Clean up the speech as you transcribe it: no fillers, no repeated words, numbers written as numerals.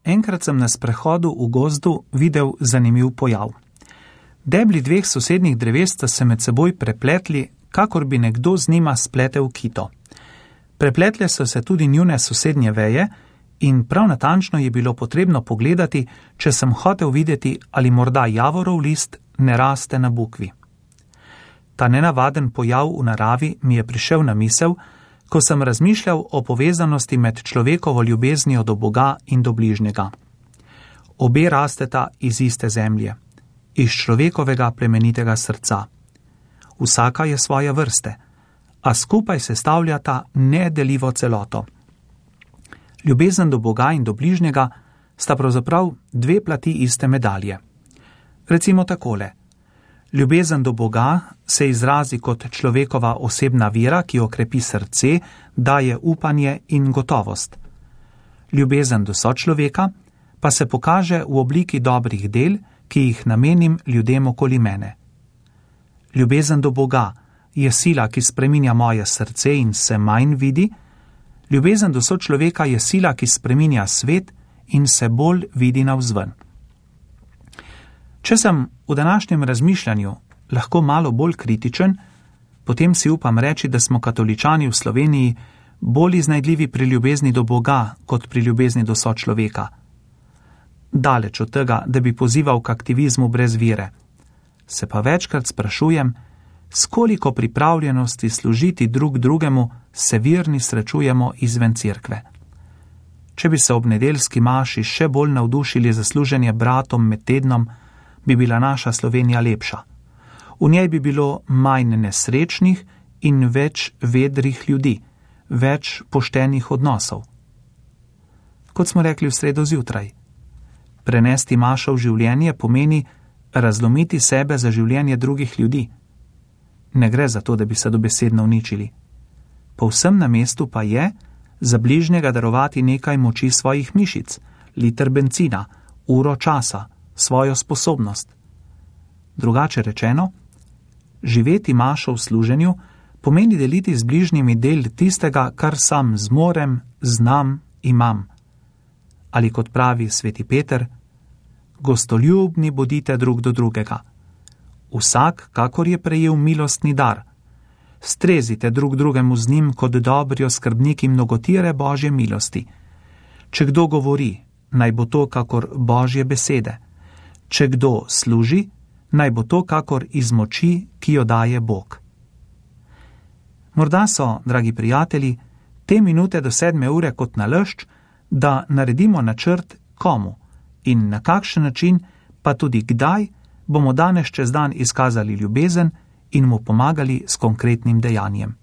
enkrat sem na sprehodu v gozdu videl zanimiv pojav. Debli dveh sosednjih dreves sta se med seboj prepletli, kakor bi nekdo z njima spletel kito. Prepletle so se tudi njune sosednje veje in prav natančno je bilo potrebno pogledati, če sem hotel videti, ali morda javorov list ne raste na bukvi. Ta nenavaden pojav v naravi mi je prišel na misel, ko sem razmišljal o povezanosti med človekovo ljubeznijo do Boga in do bližnjega. Obe rasteta iz iste zemlje, iz človekovega plemenitega srca. Vsaka je svoje vrste, a skupaj sestavljata nedeljivo celoto. Ljubezen do Boga in do bližnjega sta pravzaprav dve plati iste medalje. Recimo takole. Ljubezen do Boga se izrazi kot človekova osebna vera, ki okrepi srce, daje upanje in gotovost. Ljubezen do sočloveka pa se pokaže v obliki dobrih del, ki jih namenim ljudem okoli mene. Ljubezen do Boga je sila, ki spreminja moje srce in se manj vidi, ljubezen do sočloveka je sila, ki spreminja svet in se bolj vidi navzven. Če sem v današnjem razmišljanju lahko malo bolj kritičen, potem si upam reči, da smo katoličani v Sloveniji bolj iznajdljivi pri ljubezni do Boga kot pri ljubezni do sočloveka. Daleč od tega, da bi pozival k aktivizmu brez vere. Se pa večkrat sprašujem, s koliko pripravljenosti služiti drug drugemu se verni srečujemo izven cerkve. Če bi se ob nedeljski maši še bolj navdušili za služenje bratom med tednom, bi bila naša Slovenija lepša. V njej bi bilo manj nesrečnih in več vedrih ljudi, več poštenih odnosov. Kot smo rekli v sredo zjutraj, prenesti mašo v življenje pomeni razlomiti sebe za življenje drugih ljudi. Ne gre za to, da bi se dobesedno uničili. Povsem na mestu pa je za bližnjega darovati nekaj moči svojih mišic, liter bencina, uro časa, svojo sposobnost. Drugače rečeno, živeti mašo v služenju pomeni deliti z bližnjimi del tistega, kar sam zmorem, znam, imam. Ali kot pravi sveti Peter, gostoljubni bodite drug do drugega. Vsak, kakor je prejel milostni dar, strezite drug drugemu z njim kot dobri oskrbniki mnogotire Božje milosti. Če kdo govori, naj bo to kakor Božje besede. Če kdo služi, naj bo to kakor iz moči, ki jo daje Bog. Morda so, dragi prijatelji, te minute do 7 ure kot nalašč, da naredimo načrt komu in na kakšen način, pa tudi kdaj bomo danes čez dan izkazali ljubezen in mu pomagali s konkretnim dejanjem.